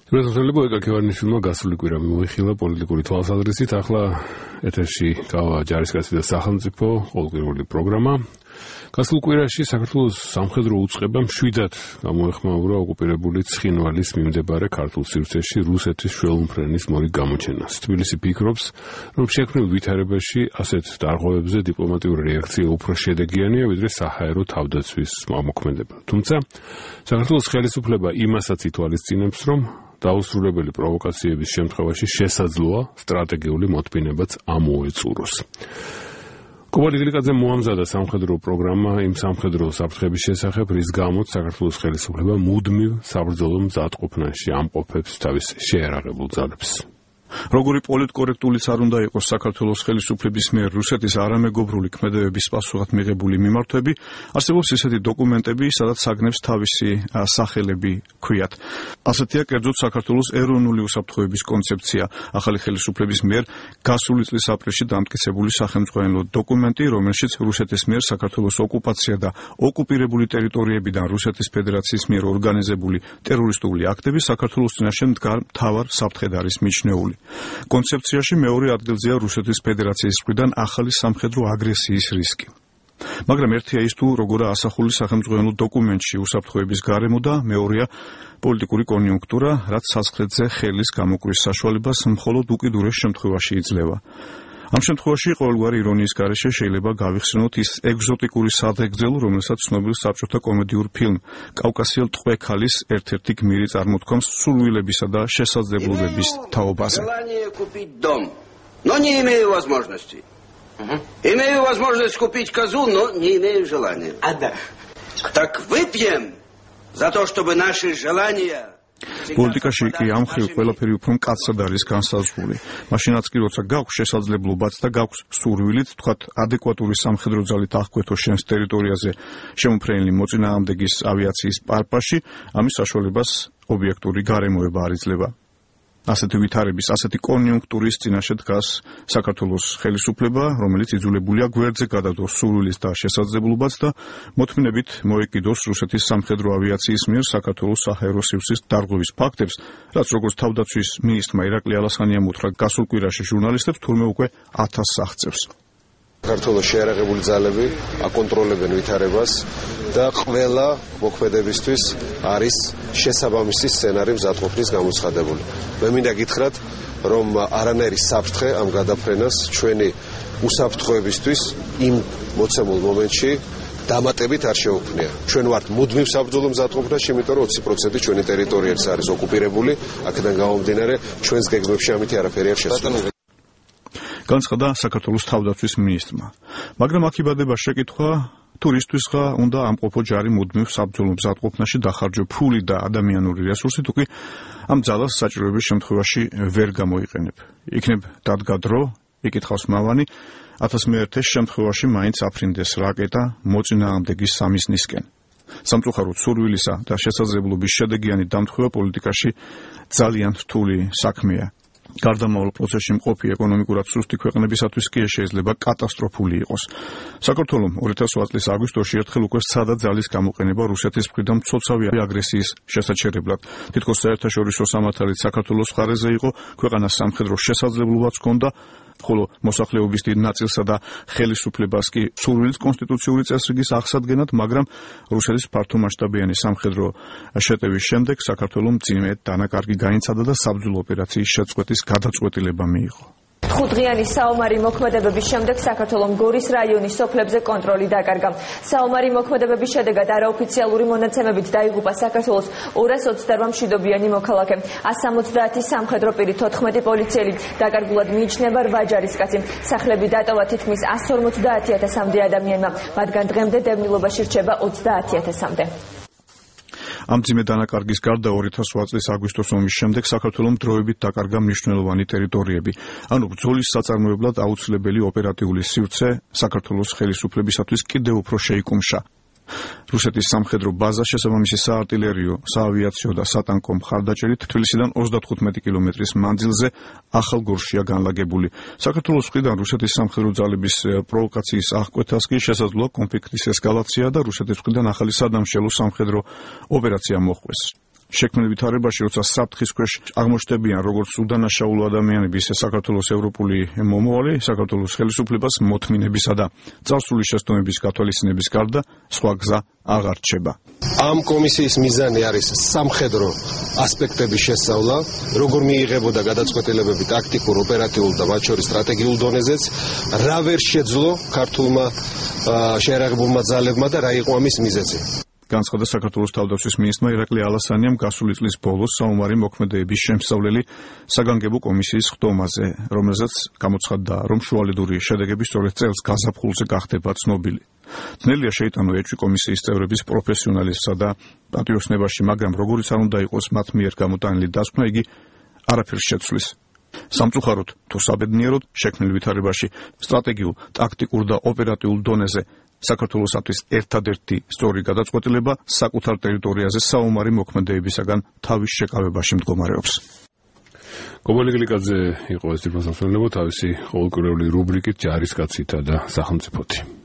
რუსეთელები ეკაკევარნიშვილმა გასული კვირა მოიხილა პოლიტიკური თვალსაზრისით, ახლა ეთერში გავა ჯარისკაცი და სახელმწიფო ყოველკვირეული პროგრამა. გასულ კვირაში საქართველოს სამხედრო უწყებამ 7-ად გამოეხმაურა ოკუპირებული ცხინვალის მიმდებარე ქართულ სივრცეში რუსეთის შველმფრენის მორიგ გამოჩენას. თბილისი ფიქრობს, რომ შექმნილ ვითარებაში ასეთ დარღვევებზე დიპლომატიური რეაქცია უფრო შედეგიანია, ვიდრე საჰაერო თავდაცვის მოქმედება. თუმცა საქართველოს ხელისუფლება იმასაც ითვალისწინებს, რომ დაუსრულებელი პროვოკაციების შემთხვევაში შესაძლოა სტრატეგიული მოთმინებაც ამოეწუროს. კობალტ გლიკაძე მოამზადა სამხედრო პროგრამა იმ სამხედრო საფრთხების შესახებ, რის გამოც საქართველოს ხელისუფლება მუდმივ საბრძოლო მზადყოფნაში ამყოფებს თავის შეიარაღებულ ძალებს. Როგორი პოლიტკორექტულიც არ უნდა იყოს საქართველოს ხელისუფლების მიერ რუსეთის არამეგობრული ქმედებების პასუხად მიღებული მიმართვები, არსებობს ისეთი დოკუმენტები, სადაც საგნებს თავისი სახელები ქვიათ. ასეთია კერძოდ საქართველოს ეროვნული უსაფრთხოების კონცეფცია, ახალი ხელისუფლების მიერ გასული წლის აპრილში დამტკიცებული სახელმწიფო დოკუმენტი, რომელშიც რუსეთის მიერ საქართველოს ოკუპაცია და ოკუპირებული ტერიტორიებიდან რუსეთის ფედერაციის მიერ ორგანიზებული ტერორისტული აქტები საქართველოს წინაშე მდგარ მთავარ საფრთხედ არის მიჩნეული. კონცეფციაში მეორე ადგილზეა რუსეთის ფედერაციის მხრიდან ახალი სამხედრო აგრესიის რისკი. მაგრამ ერთია ის თუ როგორა ასახული სახელმწიფო დოკუმენტში უსაფრთხოების გარემო და მეორეა პოლიტიკური კონიუნქტურა, რაც საზღვრებზე ხელის გამოკვრის საშუალებას მხოლოდ უკიდურეს შემთხვევაში იძლევა. ამ შემთხვევაში ყოველგვარი ირონიის გარეშე შეიძლება გავიხსენოთ ის ეგზოტიკური სადღეგრძელო, რომელსაც ცნობილ საბჭოთა კომედიურ ფილმ კავკასიელ ტყვე-ქალის ერთ-ერთი გმირი წარმოთქვამს სურვილებისა და შესაძლებლობების თაობაზე. Но не имею возможности. Имею возможность купить козу, но не имею желания. Так выпьем за то, чтобы наши желания პოლიტიკაში კი ამ ხრივ ყველაფერი უფრო მკაცად არის განსაზღვრული. მაშინაც კი როცა გაქვს შესაძლებლობაც და გაქვს სურვილით, თქვათ, ადეკვატური სამხედრო ძალით აღკვეთო შენს ტერიტორიაზე შემოფრენილი მოწინააღმდეგის ავიაციის პარპაში, ამის საშუალებას ობიექტური გარემოება არ იძლევა. ასეთი ვითარების, ასეთი კონიუნქტურის წინაშე დგას საქართველოს ხელისუფლება, რომელიც იძულებულია გვერდზე გადადოს სურვილის და შესაძლებლობაც და მოთმინებით მოეკიდოს რუსეთის სამხედრო ავიაციის მიერ საქართველოს საჰაერო სივრცის დარღვევის ფაქტებს, რაც როგორც თავდაცვის მინისტრმა ირაკლი ალასხანიამ უთხრა გასულ კვირაში ჟურნალისტებს, თურმე უკვე 1000 აღწევს. საქართველოს შეიარაღებული ძალები აკონტროლებენ ვითარებას და ყველა მოქმედებისთვის არის შესაბამისი სცენარი მზადყოფნის გამოცხადებული. მე მინდა გითხრათ, რომ არანაირი საფრთხე ამ გადაფრენას ჩვენი უსაფრთხოებისთვის იმ მოცემულ მომენტში დამატებით არ შეუქმნია. ჩვენ ვართ მუდმივ საბრძოლო მზადყოფნაში, იმიტომ რომ 20% ჩვენი ტერიტორიაც არის ოკუპირებული, აქედან გამომდინარე ჩვენს გეგმებში ამითი არაფერი არ შესრულდება. განცხადა საქართველოს თავდაცვის მინისტრმა. მაგრამ აქ იბადება შეკითხვა, თურისთვისღა უნდა ამყოფო ჯარი მუდმივ საბრძოლო მზადყოფნაში დახარჯო ფული და ადამიანური რესურსი, თუ კი ამ ძალას საჭიროების შემთხვევაში ვერ გამოიყენებ. იქნებ დადგა დრო, იკითხავს მავანი, 1001 შემთხვევაში მაინც აფრინდეს რაკეტა მოწინააღმდეგის სამიზნისკენ. სამწუხაროდ სურვილისა და შესაძლებლობის შედეგიანი დამტვერვა პოლიტიკაში ძალიან რთული საქმეა. გარდამავალ პროცესში მყოფი ეკონომიკურად სუსტი ქვეყნებისათვის კი შეიძლება კატასტროფული იყოს. საქართველომ 2008 წლის აგვისტოში ერთხელ უკვე სცადა ძალის გამოყენება რუსეთის მხრიდან მცოცავი აგრესიის შესაჩერებლად. თითქოს საერთაშორისო სამართალით საქართველოს მხარეზე იყო, ქვეყანას სამხედრო შესაძლებლობაც ჰქონდა, ხოლო მოსახლეობის დიდ ნაწილსა და ხელისუფლებას კი სურვილით კონსტიტუციური წესრიგის აღსადგენად, მაგრამ რუსეთის ფართომასშტაბიანი სამხედრო შეტევის შემდეგ საქართველომ მძიმე დანაკარგი გაინცადა და საბრძოლო ოპერაციის შეწყვეტის გადაწყვეტილება მიიღო. 5 დღიანი საომარი მოქმედებების შემდეგ საქართველომ გორის რაიონის სოფლებზე კონტროლი დაკარგა. საომარი მოქმედებების შედეგად არაოფიციალური მონაცემებით დაიღუპა საქართველოს 228 მშვიდობიანი მოქალაქე. 170 სამხედრო პირი, 14 პოლიციელი, დაკარგულად მიიჩნევა 8 ჯარისკაცი. სახლები დატოვა თითქმის 150,000-მდე ადამიანმა, მათგან დღემდე დევნილობაში რჩება 30,000-მდე. ამ მძიმე დანაკარგის გარდა 2008 წლის აგვისტოს ომის შემდეგ საქართველომ დროებით დაკარგა მნიშვნელოვანი ტერიტორიები. ანუ ბრძოლის საწარმოებლად აუცილებელი ოპერატიული სივრცე საქართველოს ხელისუფლებისათვის კიდევ უფრო შეიკუმშა. რუსეთის სამხედრო ბაზა შესაბამისი საარტილერიო, საავიაციო და სატანკო მხარდაჭერით თბილისიდან 35 კილომეტრის მანძილზე ახალგორშია განლაგებული. საქართველოს მხრიდან რუსეთის სამხედრო ძალების პროვოკაციის აღკვეთას კი შესაძლოა კონფლიქტის ესკალაცია და რუსეთის მხრიდან ახალი სადამშელო სამხედრო ოპერაცია მოხდეს. შექმნილ ვითარებაში, როცა საფრთხის ქვეშ აღმოჩნდებიან როგორც უდანაშაულო ადამიანები, ისე საქართველოს ევროპული მომავალი, საქართველოს ხელისუფლებას მოთმინებისა და წარსული შეცდომების გათვალისწინების გარდა სხვა გზა აღარ რჩება. ამ კომისიის მიზანი არის სამხედრო ასპექტების შესწავლა, როგორ მიიღებოდა გადაწყვეტილებები ტაქტიკურ, ოპერატიულ და მათ შორის სტრატეგიულ დონეზეც, რა ვერ შეძლო ქართულმა შეიარაღებულმა ძალებმა და რა იყო ამის მიზეზი. განცხადა საქართველოს თავდაცვის მინისტრმა ირაკლი ალასანიამ გასული წლის ბოლოს საომარი მოქმედებების შემსწავლელი საგანგებო კომისიის ხდომაზე, რომელზეც გამოცხადდა, რომ შუალედური შედეგები სწორედ წელს გაზაფხულზე გახდება ცნობილი. ძნელია შეიტანო ეჭვი კომისიის წევრების პროფესიონალიზმსა და პატრიოტიზმში, მაგრამ როგორიც არ უნდა იყოს მათ მიერ გამოტანილი დასკვნა, იგი არაფერს შეცვლის. სამწუხაროდ თუ საბედნიეროდ შექმნილ ვითარებაში სტრატეგიულ, ტაქტიკურ და ოპერატიულ დონეზე საქართველოსთვის ერთადერთი სწორი გადაწყვეტილება საკუთარ ტერიტორიაზე საომარი მოქმედებისაგან თავის შეკავებაში მდგომარეობს. გოგოლი გლიკაძე იყო ეს თვითმსახურებო თავისი ყოველკვირეული რუბრიკით ჯარისკაცითა და სახელმწიფოთი.